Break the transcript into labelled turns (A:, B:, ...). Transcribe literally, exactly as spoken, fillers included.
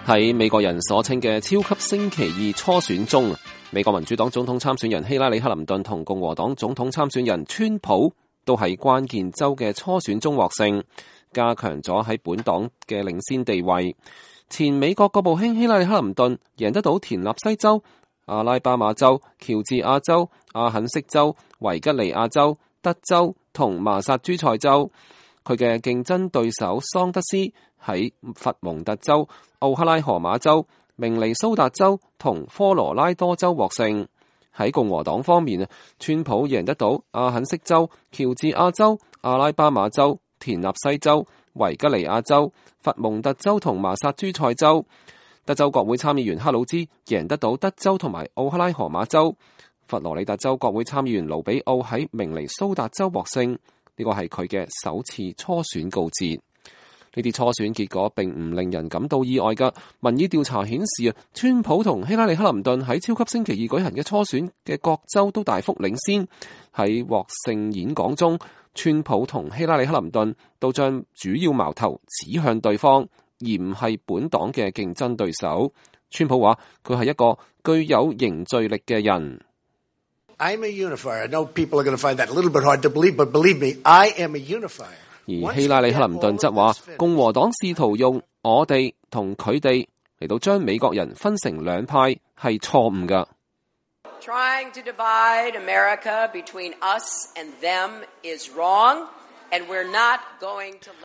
A: 喺美國人所稱嘅超級星期二初選中，美國民主黨總統參選人希拉里克林頓同共和黨總統參選人川普都喺關鍵州嘅初選中獲勝，加強咗喺本黨嘅領先地位。前美國國務卿希拉里克林頓贏得到田納西州、阿拉巴馬州、喬治亞州、阿肯色州、維吉尼亞州、德州同麻薩諸塞州。佢嘅競爭對手桑德斯喺佛蒙特州、奧克拉荷馬州、明尼蘇達州同科羅拉多州獲勝。喺共和黨方面，川普贏得到阿肯色州、喬治亞州、阿拉巴馬州、田納西州、維吉尼亞州、佛蒙特州同麻薩諸塞州。德州國會參議員克魯茲贏得到德州同埋奧克拉荷馬州。佛羅里達州國會參議員盧比奧喺明尼蘇達州獲勝。呢個係佢嘅首次初選告捷。呢啲初選結果並唔令人感到意外㗎。民意調查顯示啊，川普同希拉里克林頓喺超級星期二舉行嘅初選嘅各州都大幅領先。喺獲勝演講中，川普同希拉里克林頓都將主要矛頭指向對方，而唔係本黨嘅競爭對手。川普話佢係一個具有凝聚力嘅人。
B: I'm a unifier. I know people are going to find that a little bit hard to believe, but believe me, I am a unifier.
A: 而希拉里克林頓則話，共和黨試圖用我哋同佢哋嚟到將美國人分成兩派係錯誤㗎。
C: Trying to divide America between us and them is wrong, and we're not going to